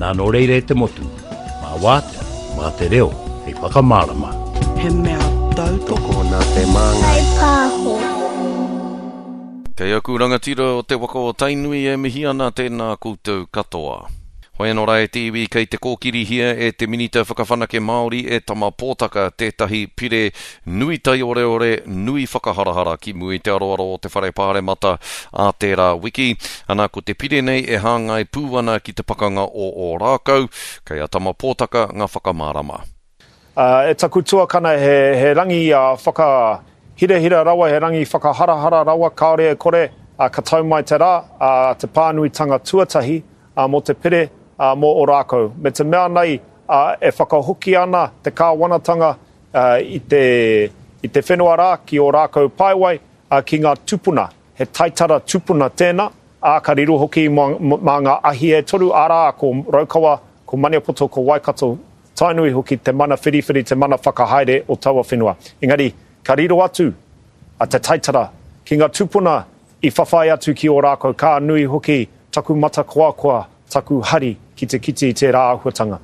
Nā nō reira e te motu, mā Wātea, mā te reo hei whakamārama. He mea tautoko nā te Māngai Pāho. Kei aku rangatira o te waka o Tainui e mihi ana tēnā koutou katoa. Hoi anō rā e te iwi kei te kōkirihia e te Minita Whakawhanake Māori e Tama Pōtaka tētahi pire nui taioreore, nui whakaharahara ki mua i te aroaro o te Whare Pāremata ā tērā wiki. Ana ko te pire nei e hāngai pū ana ki te pakanga o Ōrākau, kei a Tama Pōtaka ngā whakamārama. E taku tuakana he rangi whakahirahira rawa, he rangi whakaharahara rawa, kāore e kore, ka tau mai te rā, te pānuitanga tuatahi mō te pire mō Ōrākau. Me te mea nei e whakahoki ana te kāwanatanga i te whenua rā ki Ōrākau Paewai ki ngā tupuna, he taitara tupuna tēnā, ā, ka riro hoki mā ngā ahi e toru, arā, ko Raukawa, ko Maniapoto, ko Waikato, Tainui hoki te mana whiriwhiri, te mana whakahaere o taua whenua. Engari, ka riro atu a te taitara ki nga tupuna i whawhai atu ki Ōrākau, ka nui hoki taku matakoakoa, taku hari ki te kite i tērā āhuatanga.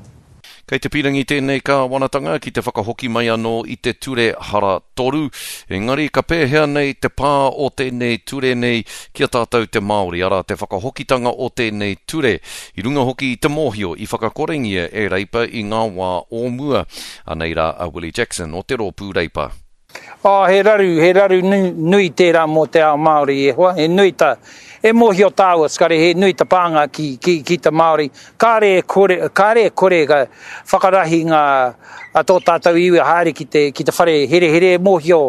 Kei te pīrangi tēnei kāwanatanga ki te whakahoki mai anō i te ture hara toru, engari ka pēhea nei te pā o tēnei ture nei ki a tātou te Māori, arā te whakahokitanga o tēnei ture, i runga hoki i te mōhio i whakakorengia e Reipa i ngā wā o mua. Anei rā a Willie Jackson o te Rōpū Reipa. Oh, he raru, he raru nui tērā mō te ao Māori e hoa, he nui ta, e mōhio tāua, skare, he nui ta pānga ki, ki, ki te Māori. Kāre e kore, kāre e kore ka whakarahi ngā, a tō tātou iwi haere ki te, ki te whare herehere e mōhio,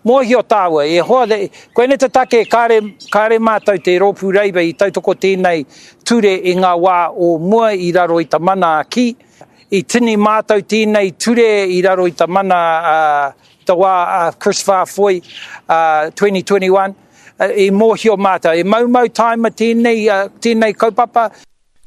mōhio tāua, e hoa, koinei te take kāre, kāre mātou te Rōpū Reipa i tautoko tēnei ture i ngā wā o mua i raro i ta mana a ki, I tini mātou tēnei ture i raro i ta mana a ta wā a Chris Faafoi 2021. I mōhio mātou, e maumau tāima tēnei, tēnei kaupapa.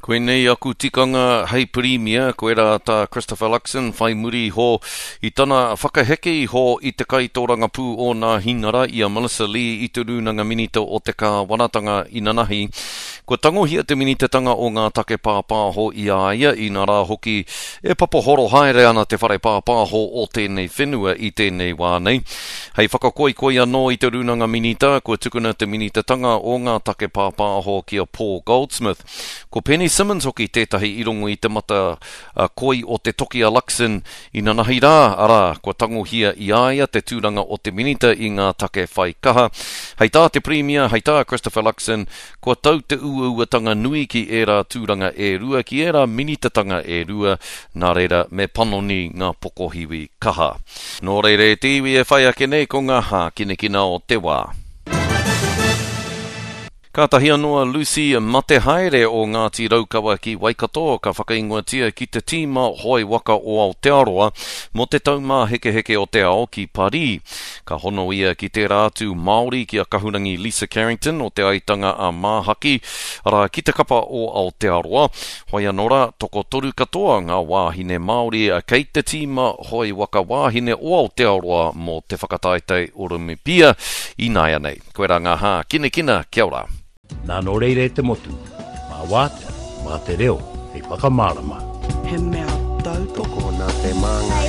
Koinei aku tikanga hei Pirimia, koirā tā Christopher Luxon whai muri iho i tana whakaheke iho i te kaitōrangapū o Nāhinara i a Melissa Lee i te Rūnanga Minita o te Kāwanatanga inanahi. Kua tangohia te minitatanga o ngā take pāpāho i a ia, inarā hoki e papahoro haere ana te whare pāpāho o tēnei whenua i tēnei wā nei. Hei whakakoikoi anō i te Rūnanga Minita, kua tukuna te minitatanga o ngā take pāpāho ki a Paul Goldsmith. Ko Penny Simmonds hoki tētahi i rongo i te mata koi o te toki a Luxon inanahi rā, arā, kua tangohia i a ia te tūranga o te Minita i ngā take whai kaha. Hei tā te Pirimia, hei tā Christopher Luxon, Kua tau te uauatanga nui ki ērā tūranga e rua, ki ērā minitatanga e rua, nā reira me panoni ngā pokohiwi kaha. Nō reira e te iwi e whai ake nei ko ngā hākinakina o te wā. Kātahi anō a Lucy Matehaere o Ngāti Raukawa ki Waikato ka whakaingoatia ki te tīma hoe waka o Aotearoa mō te Taumāhekeheke o te Ao ki Parī. Ka hono ia ki tērā atu Māori ki a Kahurangi Lisa Carrington o Te Aitanga a Māhaki, arā, ki te kapa o Aotearoa. Hoi anō rā, tokotoru katoa ngā wāhine Māori kei te tīma hoe waka wāhine o Aotearoa mō te whakataetae Oromipia ināianei. Koirā ngā hākinakina, kia ora. Nā nō reira e te motu, mā Wātea, mā te reo hei whakamārama. He mea tautoko nā te Māngai.